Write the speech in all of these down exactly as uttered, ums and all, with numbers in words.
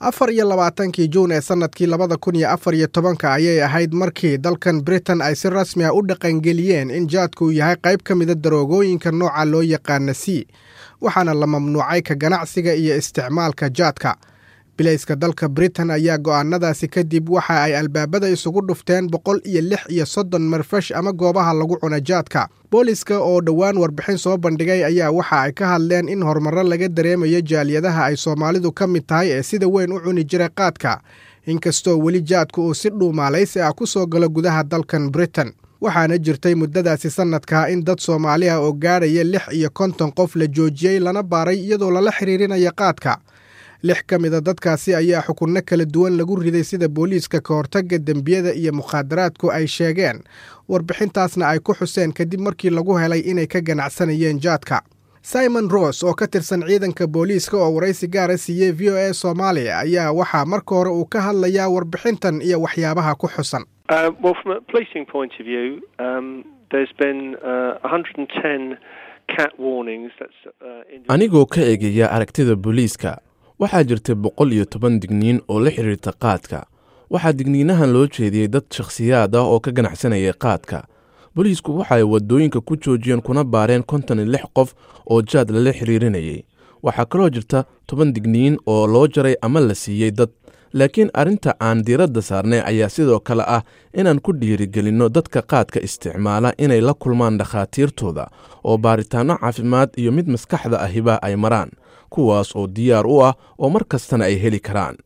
Afar iyo labaatankii Juun ee sannadkii labada kun iyo afar iyo tobanka ayay ahayd markii dalkan Britain ay si rasmi ah u dhaqangeliyeen in jaadku yahay qayb ka mida daroogooyinka nooca loo yaqaana C, waxaana la mamnuucay ka ganacsiga iyo isticmaalka jaadka. Bilayska dalka Britain ayaa go'aanadaasi kadib waxa ay albaabada isugu dhufteen boqol iyo lix iyo soddon marfash ama goobaha lagu cuna jaadka. Booliska oo dhowaan warbixin soo bandhigay ayaa waxa ay ka hadleen in horumarro laga dareemayo jaaliyadaha ay Soomaalidu ka mid tahay ee sida weyn u cuni jiray qaadka, inkastoo weli jaadku uu si dhuumaalaysi ah ku soo galo gudaha dalkan Britain. Waxaana jirtay muddadaasi sannadkaa in dad Soomaali ah oo gaadhaya lix iyo konton qof la joojiyey lana baaray iyadoo lala xiriirinayo qaadka. Lix ka mida dadkaasi ayaa xukunno kala duwan lagu riday sida booliiska ka hortagga dembiyada iyo mukhaadaraadku ay sheegeen, warbixintaasna ay ku xuseen kadib markii lagu helay inay ka ganacsanayeen jaadka. Simon Ross oo ka tirsan ciidanka booliiska oo waraysi gaara siiyey V O A Soomaaliya ayaa waxaa marka hore uu ka hadlayaa warbixintan iyo waxyaabaha ku xusan. Uh, well, from a policing point of view, um, there's been uh, one hundred and ten cat warnings. That's, uh, Anigoo ka eegaya aragtida booliiska, waxaa jirtay boqol iyo toban digniin oo la xiriirta qaadka. Waxaa digniinahan loo jeediyey dad shakhsiyaad ah oo ka ganacsanayay qaadka. Booliisku waxa ay waddooyinka ku joojiyeen kuna baareen konton iyo lix qof oo jaad lala xiriirinayay. Waxaa kaloo jirta toban digniin oo loo jaray ama la siiyey dad. Laakiin arrinta aan diiradda saarnay ayaa sidoo kale ah inaan ku dhiirigelinno dadka qaadka isticmaala inay la kulmaan dhakhaatiirtooda oo baaritaanno caafimaad iyo mid maskaxda ahiba ay maraan, kuwaas oo diyaar u ah oo mar kastana ay heli karaan.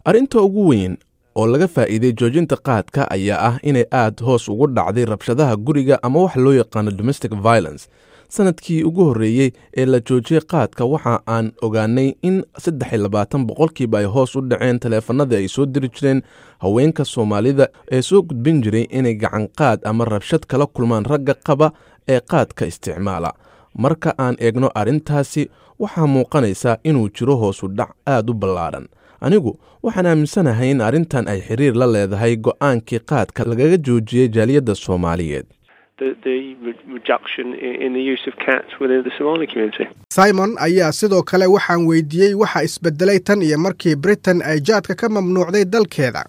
Arrinta ugu weyn oo laga faa'iiday joojinta qaadka ayaa ah inay aad hoos ugu dhacday rabshadaha guriga ama wax loo yaqaano domestic violence. Sanadkii ugu horreeyey ee la joojiyey qaadka waxa aan ogaanay in saddex iyo labaatan boqolkiiba ay hoos u dhaceen taleefanadii ay soo diri jireen haweenka Soomaalida ee soo gudbin jiray inay gacan qaad ama rabshad kala kulmaan ragga qaba ee qaadka isticmaala. Marka aan eegno arrintaasi, waxaa muuqanaysa inuu jiro hoos u dhac aad u ballaaran. Anigu waxaan aaminsanahay in arrintan ay xiriir la leedahay go'aankii qaadka lagaga joojiyey jaaliyadda Soomaaliyeed. The, the reduction in the use of cats within the Somali community. Simon ayaa sidoo kale waxaan weydiiyey waxa isbedelay tan iyo markii Britain ay jaadka ka mamnuucday dalkeeda.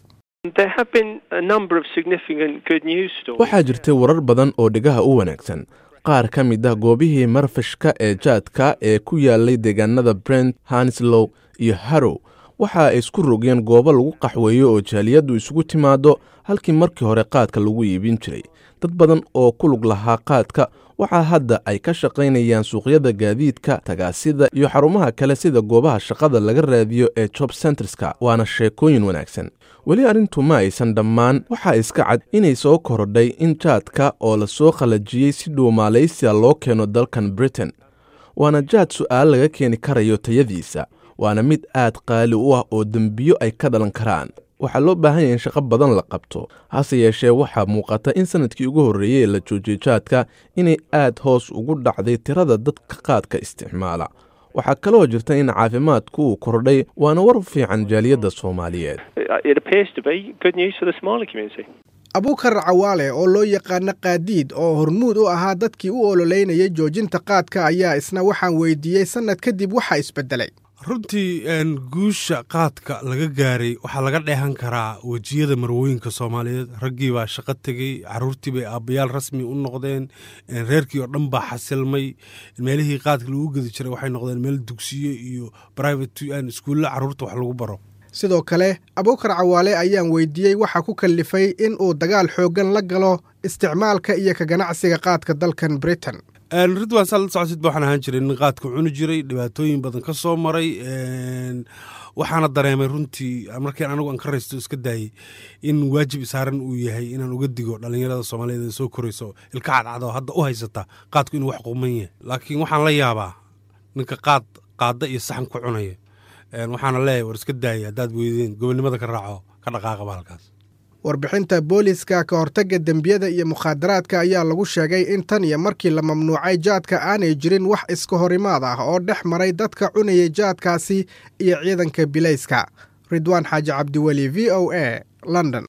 There have been a number of significant good news stories. Waxaa jirtay warar badan oo dhegaha u wanaagsan. Qaar ka mid ah goobihii marfashka ee jaadka ee ku yaalay deegaanada Brent, Hounslow iyo Harrow waxa ay isku rogeen goobo lagu qaxweeyo oo jaaliyaddu isugu timaado halkii markii hore qaadka lagu iibin jiray. Dad badan oo ku lug lahaa qaadka waxaa hadda ay ka shaqaynayaan suuqyada gaadiidka, tagaasida iyo xarumaha kale sida goobaha shaqada laga raadiyo ee job centerska, waana sheekooyin wanaagsan. Weli arrintu ma aysan dhammaan. Waxaa iska cad inay soo korodhay in jaadka oo la soo qalajiyey si dhuumaalaysiya loo keeno dalkan Britain. Waana jaad su'aal laga keeni karayo tayadiisa, waana mid aad qaali u ah oo dembiyo ay ka dhalan karaan. Waxaa loo baahan yahay in shaqo badan la qabto. Hase yeeshee waxaa muuqata in sanadkii ugu horreeyey ee la joojiyey jaadka inay aad hoos ugu dhacday tirada dadka qaadka isticmaala. Waxaa kaloo jirta in caafimaadku uu kordhay, waana war fiican jaaliyadda Soomaaliyeed. It appears to be good news for the Somali community. Abuukar Cawaale oo loo yaqaano Qaadiid oo hormuud u ahaa dadkii u ololeynayay joojinta qaadka ayaa isna waxaan weydiiyey sanad kadib waxa isbedelay. Runtii guusha qaadka laga gaaray waxaa laga dheehan karaa wejiyada marwooyinka Soomaaliyeed. Raggii baa shaqo tegey, caruurtii bay aabbayaal rasmi u noqdeen, reerkii oo dhan baa xasilmay. Meelihii qaadka lagu gedi jiray waxay noqdeen meel dugsiyo iyo private iskuulla caruurta wax lagu baro. Sidoo kale Abuukar Cawaale ayaan weydiiyey waxa ku kallifay in uu dagaal xooggan la galo isticmaalka iyo ka ganacsiga qaadka dalkan Britain. Ridwaan, saa la socotid ba waxaan ahaan jiray nin qaadka cuni jiray, dhibaatooyin badan ka soo maray. Waxaana dareemay runtii markiin anigu aan ka raysto iska daayey in waajib isaaran uu yahay inaan uga digo dhallinyarada Soomaaliyeed ee soo korayso ilka cadcad oo hadda u haysata qaadku inuu wax quman yahay. Laakiin waxaan la yaabaa ninka qaad qaadda iyo saxan ku cunaya. Waxaana leeyahay war iska daayay haddaad weydeen gobonimada ka raaco ka dhaqaaqaba halkaas. Warbixinta booliiska ka hortagga dembiyada iyo mukhaadaraadka ayaa lagu sheegay in tan iyo markii la mamnuucay jaadka aanay jirin wax iska horimaad ah oo dhex maray dadka cunayay jaadkaasi iyo ciidanka bilayska. Ridwaan Xaaji Cabdiweli, V O A, London.